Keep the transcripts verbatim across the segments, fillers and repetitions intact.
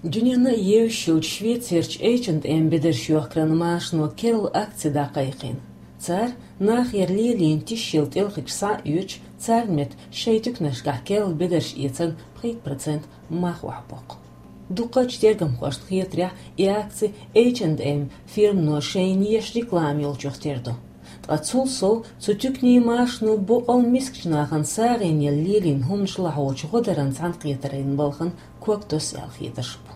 Дуьненна а евзаш йолчу Швецерчу H and M бедарш йохкаран машано керла акци дӀакхайкхийна. Цара нахера лелийна тишъелла тӀелхигаш схьаоьцуш, царна метта шайн туьканашкахь керла бедарш эцарна пхийтта процент мах охьабоккху. Дукхачу тергамхошна хетарехь, и акци H and M фирмано шайна еш реклама йолчух тера ду. Ткъа цул сов цу туьканийн машано боккъал мискачу нахана сагӀина елла лелийна хӀуманаш лахьочу гӀодаран цхьаьнакхетаран балхана ког тосу аьлла хетарш бу.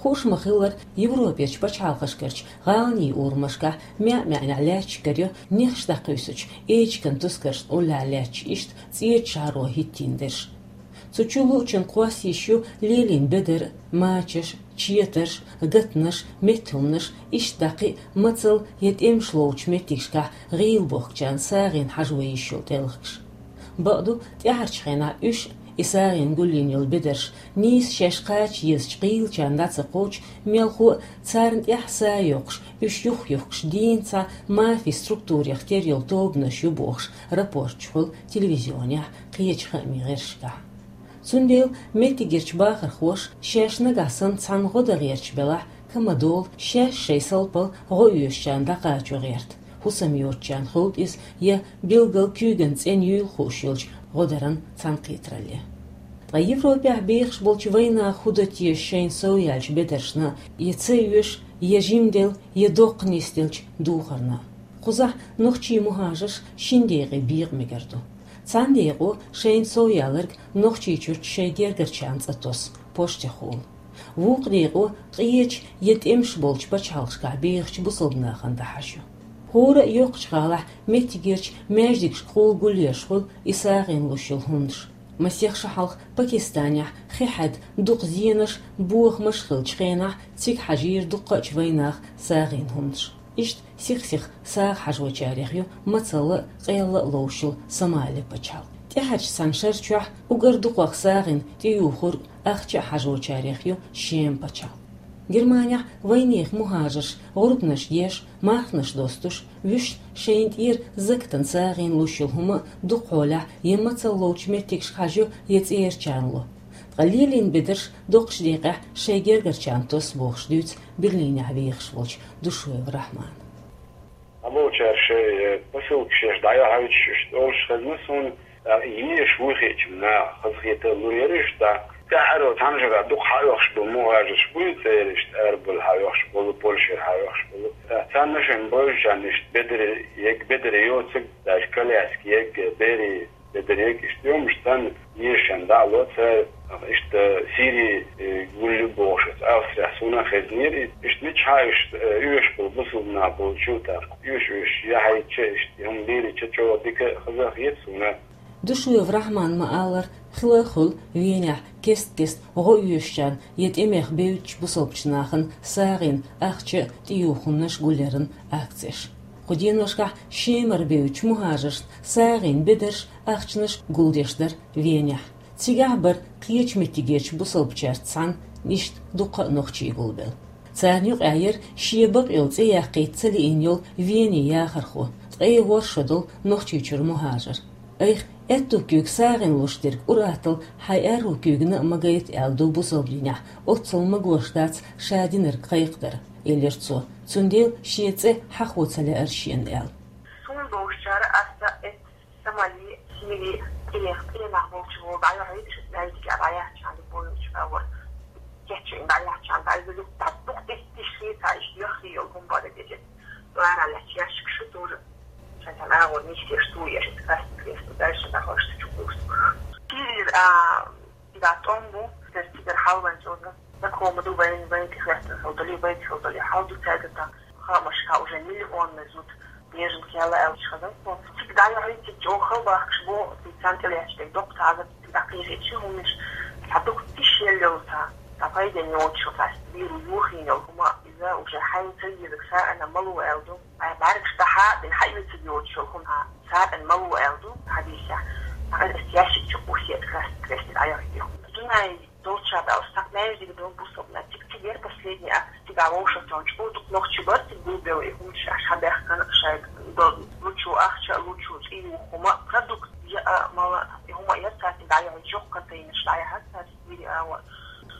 Хууш ма-хиллара, Европерчу пачхьалкхашкарчу гӀаланийн урамашкахь маьӀ-маьӀнехь лаьтташ карайо нехаш дӀакхуьйсучу эчиган тускаршна уллехь лаьтташ иштта цӀечу шахьаро хӀиттийна дерш. Цу чулуучун кхосса йиш ю лелийна бедар, мачаш, четарш, гатанаш, меттахӀуманаш, иштта дӀа кхин а мацалла я тӀемаш ловчу меттигашкахь гӀийла бохкучарна сагӀина хьажо йиш йолу тӀелхигаш. Бакъду, тӀаьхьарчу хенахь уьш, и сагӀина гулйина йолу бедарш, нийса шаьш кхача езачу гӀийлачарна дӀа ца кхочу, мелхо а царна тӀехь са а йоккхуш, уьш юххе-юхкуш дийна цхьа мафин структурех тера йолу тобанаш ю бохуш, рапорташ хуьлу телевизионехь, кхечу хаамийн гӀирсашкахь. Цундела меттигерчу бахархоша шаьш нагахь санна цхьанна гӀо дан гӀерташ белахь, ка ма долу, шаьш шайн салпалла гӀо оьшучарна дӀакхачо гӀерта, хӀусам йоцучарна хуьлда иза я билггал куьйган цӀена юйла хууш йолчу гӀодаран цхьаьнакхетаралле. Ткъа Европехь бехаш болчу вайнаха хӀун дан теша шайна совъяьллачу бедаршна, я ца оьшу, я жимделла, я доккха нисделлачу духарна? Кхузахь нохчийн мухӀажарш шина декъе бекъа мегар ду. Цхьана декъо шайна совъяларг Нохчийчуьрчу шайн гергарчарна цӀа тосу, поштехула. Вукху декъо къечу я тӀемаш болчу пачхьалкхашкахь бехачу бусалба нахана дахьаш ю. ХӀора а йоккхачу гӀалахь меттигерчу маьждигашкахула гулъеш хуьлу и сагӀина луш йолу хӀуманаш. Масех шо хьалха Пакистанехь хи хьаьдда дукха зенаш, бохамаш хиллачу хенахь цига хьажийра дуккхачу вайнаха сагӀина хӀуманаш. Иштта сих-сиха сагӀа хьажочарех ю мацалла а, къелла а ловшал Сомали пачхьалкх. ТӀаьхьарчу цхьана шар чохь уггар дукхах сагӀина тӀеюхург ахча а хьажочарех ю Шема пачхьалкх. Германехь вайнехан мухӀажарш гӀурбанаш деш, мархнаш достуш, вуьшта шайна тӀера закатан сагӀина луш йолу хӀума дукхахьолехь я мацалла ловчу меттигашка хьажайо, я цӀерачарна ло. Ткъа лелийна бедарш доккхачу декъехь шайн гергарчарна тосу бохуш дуьйцу Берлинехь вехаш волчу Душуев Рахьмана. Амалчара шайн, э, посылкаш еш дӀайохьуьйтуш, иштта олуш хезна суна, а, еш вуй хиъча наха, хазахета лур яра иштта. ТӀаьхьаро цхьана шарахь дукха хьаоьхуш болу мухӀажарш буй церан иштта арабевлла хьаоьхуш болу, Польшера хьаоьхуш болу. Царна шайн бевзачарна иштта бедар ерг, бедар йоцург, даже коляска ерг, берийн бедар ерг, иштта йомаш царна ешан дӀа а ло цара, иштта Сири, э, гулъю бохуш, Австрехь суна а хезнера, иштта мичахьа иштта, э, оьшуш болу бусалба нах болчу, тӀаккха оьшуш-оьшуш яхьийтича, иштта хӀума лелийча чӀогӀа дика хаза хета суна. Душуев Рахьмана ма-аллара, хила а хуьлу Венехь кест-кеста гӀо оьшучарна я тӀемех бевддачу бусалбачу нахана сагӀина ахча а, тӀеюхунаш а гулъяран акцеш. Кху деношкахь Шемара бевддачу мухӀажаршна сагӀина бедарш, ахчанаш гулдеш дара Венехь. Цигахь бара кхечу меттигерчу бусалбачаьрца цхьаьна иштта дуккха а нохчий гулбелла. Царна юкъахь яра шен бакъйолу цӀе яккхийта ца лиъна йолу Венин яхархо, ткъе ворхӀ шо долу Нохчийчуьра мухӀажар. Айхьа аьтту куьйга сагӀина луш дерг ур-атталла хьайн аьрру куьйгана а ма гайта аьлла ду бусалба динехь, оццул магош дац ша динарг кхайкхадар, элира цо. Цундела шен цӀе хьахо ца лаьара шена аьлла. Суна бовшачара аса эт Сомали, Сири, тӀех, тӀе нах болчу вон дӀайохьуьйтуш, маьждиге дӀаяхьча, любой йолчу агӀор. Кечйина дӀаяхьча, дӀайохьуьйтуш, дӀа дукха деттиш хи ца иш, яххе йолу хӀума бара деза. Лара лаьцна ящикаш ю тоже. Шайтан агӀор нисдеш туеш, каст кресло, дальше дӀахьош чу курс. Кирир, а, да, тӀом бу, цигара хьалван чӀоза. Знакомый ду вайн, вайн тӀехветтина хила долу, вайн тӀехветтина хила долу, хьал ду цаьрга тӀа. Хаамашка уже миллионный зуд беженка яла аьлча хаза. Цига дӀайохьуьйту, цига чӀогӀа хала бахкаш бу, цига царна тӀелаьцча дерг доккха цхьа а, цига дӀакхийжийча хӀуманаш, цхьа дукха тиш елла йолу цхьа, цхьа пайденна йоцуш йолу, цхьа вирус юхийна йолу хӀума, иза уже хьайна ца езарг сагӀина ма ло аьлла ду. Ай, бӀаьргаш дӀахьа а дина, хьаоьцург йоцуш йолу хӀума, сагӀина ма ло аьлла ду, хьадийсехь. Ахьа ас ящик чу кхуссийта, красный крестик Ӏайохьуьйту. Дунай долча баьлла, стаг маьждиг долу бусалба нах, цига, цига яра последний акция, цига вовшахтоьхначу, о, дукха нохчий бара, цига гулбелла и хӀуманаш, аша хьабаьхкина, шайга долу лучу ахча, лучу цӀе юху хӀума, продукт, я, а, мала, и хӀума яра цаьрца дӀаяхьа, жоккха контейнерш дӀаяхьа цаьрца, вири а, вот.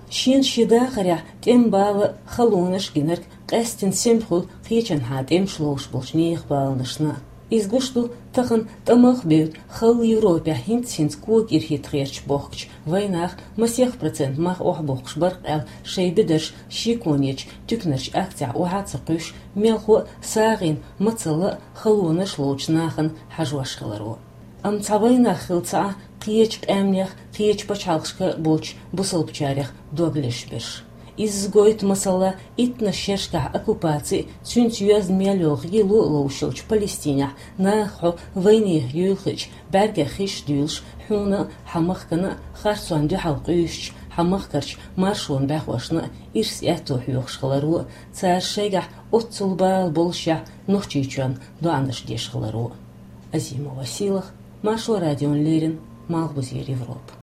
Шен шен дахарехь тӀеман бала, халонаш гинарг къаьсттина сема хуьлу кхечанхьа тӀемаш ловш болчу нехан баланашна. Иза гуш ду, тахана тӀамах а бевдда, халла Европехь хӀинцца-хӀинцца кога ирхӀитта гӀерташ бохкучу вайнаха масех процент мах охьабоккхуш бара-кх аьлла, шайн бедарш шеконечу туьканарчу акцехь охьа а ца кхуьйсуш, мелхо а сагӀина, мацалла а халонаш ловчу нахана хьажош хиларо. Амма цхьа вайнах хилла ца Ӏа кхечу къаьмнех, кхечу пачхьалкхашка болчу бусалбачарех дог леш берш. Изза гойту, масала, иттаннаш шершкахь оккупаци а, цуьнца йоьзна мел йолу гӀело а ловш йолчу Палестинехь нахах хьо вайнехан юйла хиъча, бӀаьргех хиш а дуьйлуш, хьуна а, хьан махкана а харцонна дуьхьал къуьйсучу хьан махкарчу маршонан бӀаьхошна а ирс аьтто хьоьхуш хиларо а, цара шайгахь оццул бала боллушехь Нохчийчоьнна доӀанаш деш хиларо а. Азимова Сийлаха, Маршо радиона леррина, Малхбузера Европа.